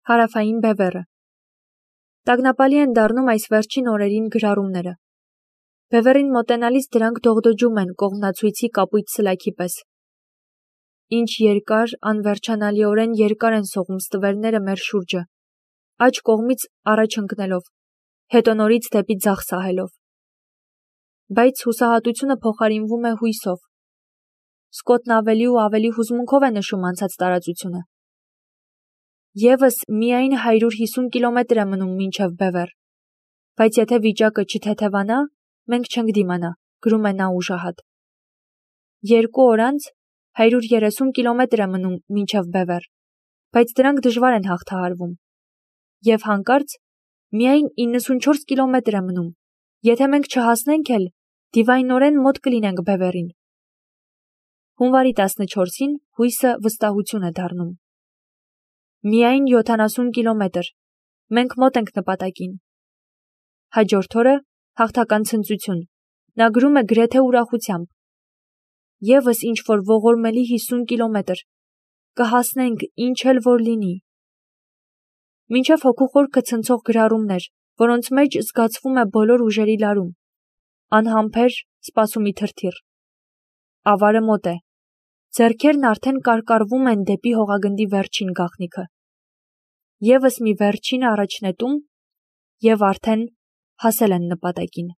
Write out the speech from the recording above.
Հարավային բևեռը։ Տագնապալի են դառնում այս վերջին օրերին գրառումները։ Բևեռին մոտենալիս դրանք դողդոջում են կողմնացույցի կապույտ սլաքի պես։ Ինչ երկար, անվերջանալիորեն երկար են սողում ստվերները մեր շուրջը, աջ կողմից առաջ ընկնելով, հետո նորից դեպի ձախ սահելով։ Բայց հուսահատությունը փոխարինվում է հույսով։ Սկոտն ավելի ու ավելի հուզմունքով է նշում անցած տարածությունը։ Եվս միայն 150 կիլոմետր է մնում մինչև բևեռ, բայց եթե վիճակը չթեթևանա, մենք չենք դիմանա, գրում է նա ուժահատ։ 2 օր անց 130 կիլոմետր է մնում մինչև բևեռ, բայց դրանք դժվար են հաղթահարվում։ Եվ հանկարծ միայն 94 կիլոմետր է մնում, եթե մենք չհասնենք էլ, դիվայնորեն մոտ կլինենք բևեռին։ Հունվարի 14-ին հույսը վստահություն է դառնում։ Միայն 70 կիլոմետր, մենք մոտ ենք նպատակին։ Հաջորդ օրը հաղթական ցնծություն, նա գրում է գրեթե ուրախությամբ։ Եվս ինչ-որ ողորմելի 50 կիլոմետր, կհասնենք ինչ էլ որ լինի։ Մինչև հոգու խորքը ցնցող գրառումներ, որոնց մեջ զգացվում է բոլոր ուժերի լարում, անհամբեր սպասումի թրթիռ։ Ավարը մոտ է, ձեռքերն արդեն կարկառվում են դեպի հողագնդի վերջին գաղտնիքը։ Եվս մի վերջին առաջնետում, և արդեն հասել են նպատակին։